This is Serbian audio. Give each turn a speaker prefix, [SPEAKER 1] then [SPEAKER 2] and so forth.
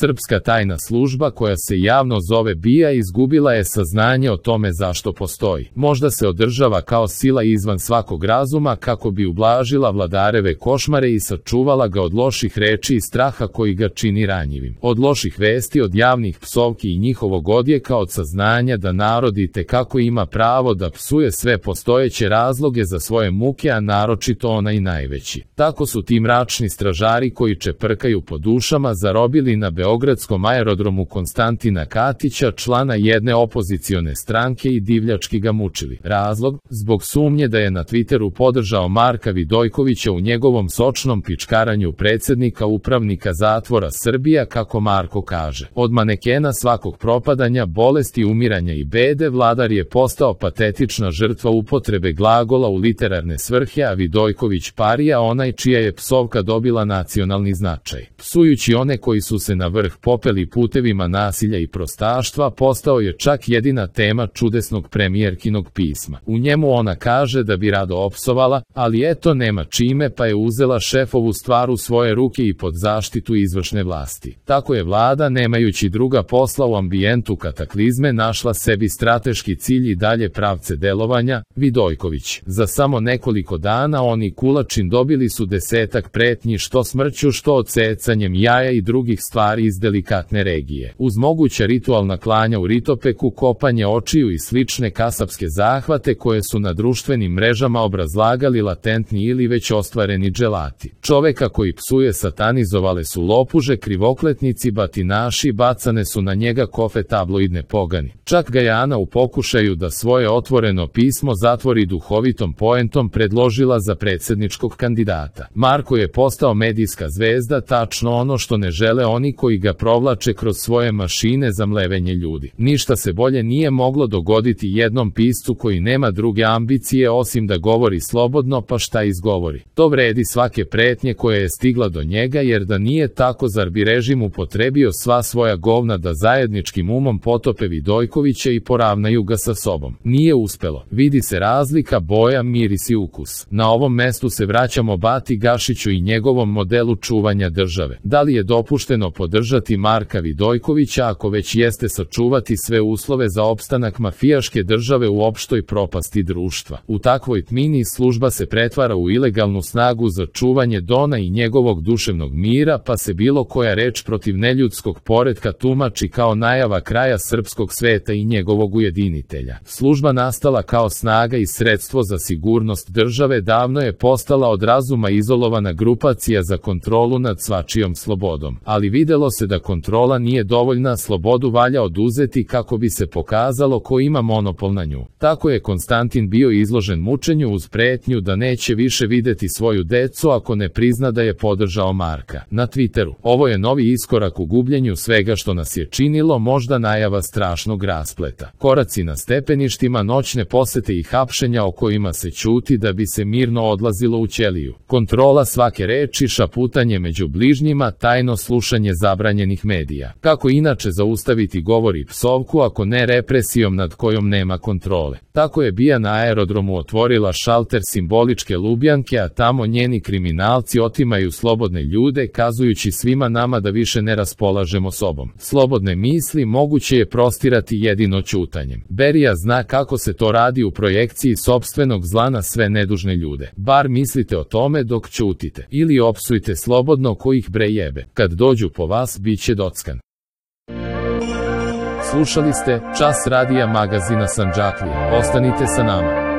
[SPEAKER 1] Srpska tajna služba koja se javno zove BIA izgubila je saznanje o tome zašto postoji. Možda se održava kao sila izvan svakog razuma kako bi ublažila vladareve košmare i sačuvala ga od loših reči i straha koji ga čini ranjivim. Od loših vesti, od javnih psovki i njihovog odjeka, od saznanja da narod itekako ima pravo da psuje sve postojeće razloge za svoje muke, a naročito onaj najveći. Tako su ti mračni stražari koji čeprkaju po dušama zarobili na beogradskom aerodromu Konstantina Katića, člana jedne opozicione stranke, i divljački ga mučili. Razlog? Zbog sumnje da je na Twitteru podržao Marka Vidojkovića u njegovom sočnom pičkaranju predsjednika upravnika zatvora Srbija, kako Marko kaže. Od manekena svakog propadanja, bolesti, umiranja i bede, vladar je postao patetična žrtva upotrebe glagola u literarne svrhe, a Vidojković parija, onaj čija je psovka dobila nacionalni značaj. Psujući one koji su se na vrh popeli putevima nasilja i prostaštva, postao je čak jedina tema čudesnog premijerkinog pisma. U njemu ona kaže da bi rado opsovala, ali eto nema čime, pa je uzela šefovu stvar u svoje ruke i pod zaštitu izvršne vlasti. Tako je vlada, nemajući druga posla u ambijentu kataklizme, našla sebi strateški cilj i dalje pravce delovanja. Vidojković. Za samo nekoliko dana oni Kulačin dobili su 10-ak pretnji, što smrću, što odsecanjem jaja i drugih stvari iz delikatne regije. Uz moguća ritualna klanja u Ritopeku, kopanje očiju i slične kasapske zahvate koje su na društvenim mrežama obrazlagali latentni ili već ostvareni dželati. Čoveka koji psuje satanizovale su lopuže, krivokletnici, batinaši, bacane su na njega kofe tabloidne pogani. Čak ga je Ana u pokušaju da svoje otvoreno pismo zatvori duhovitom poentom predložila za predsjedničkog kandidata. Marko je postao medijska zvezda, tačno ono što ne žele oni koji ga provlače kroz svoje mašine za mlevenje ljudi. Ništa se bolje nije moglo dogoditi jednom piscu koji nema druge ambicije osim da govori slobodno, pa šta izgovori. To vredi svake pretnje koja je stigla do njega, jer da nije tako, zar bi režim upotrebio sva svoja govna da zajedničkim umom potope Vidojkovića i poravnaju ga sa sobom. Nije uspelo. Vidi se razlika, boja, miris i ukus. Na ovom mestu se vraćamo Bati Gašiću i njegovom modelu čuvanja države. Da li je dopušteno podržati Marka Vidojkovića, ako već jeste sačuvati sve uslove za opstanak mafijaške države u opštoj propasti društva? U takvoj tmini služba se pretvara u ilegalnu snagu za čuvanje Dona i njegovog duševnog mira, pa se bilo koja reč protiv neljudskog poretka tumači kao najava kraja srpskog sveta i njegovog ujedinitelja. Služba nastala kao snaga i sredstvo za sigurnost države davno je postala od razuma izolovana grupacija za kontrolu nad svačijom slobodom. Ali videlo se da kontrola nije dovoljna, slobodu valja oduzeti kako bi se pokazalo ko ima monopol na nju. Tako je Konstantin bio izložen mučenju uz pretnju da neće više videti svoju decu ako ne prizna da je podržao Marka. Na Twitteru. Ovo je novi iskorak u gubljenju svega što nas je činilo, možda najava strašnog raspleta. Koraci na stepeništima, noćne posete i hapšenja o kojima se ćuti da bi se mirno odlazilo u ćeliju. Kontrola svake reči, šaputanje među bližnjima, tajno slušanje zabranjenih medija. Kako inače zaustaviti govor i psovku ako ne represijom nad kojom nema kontrole? Tako je BIA na aerodromu otvorila šalter simboličke Lubjanke, a tamo njeni kriminalci otimaju slobodne ljude, kazujući svima nama da više ne raspolažemo sobom. Slobodne misli moguće je prostirati jedino ćutanjem. Berija zna kako se to radi u projekciji sopstvenog zla na sve nedužne ljude. Bar mislite o tome dok ćutite. Ili opsujte slobodno ko ih bre jebe. Kad dođu po vas, bit će dockan. Slušali ste Čas radija magazina Sandžaklije. Ostanite sa nama.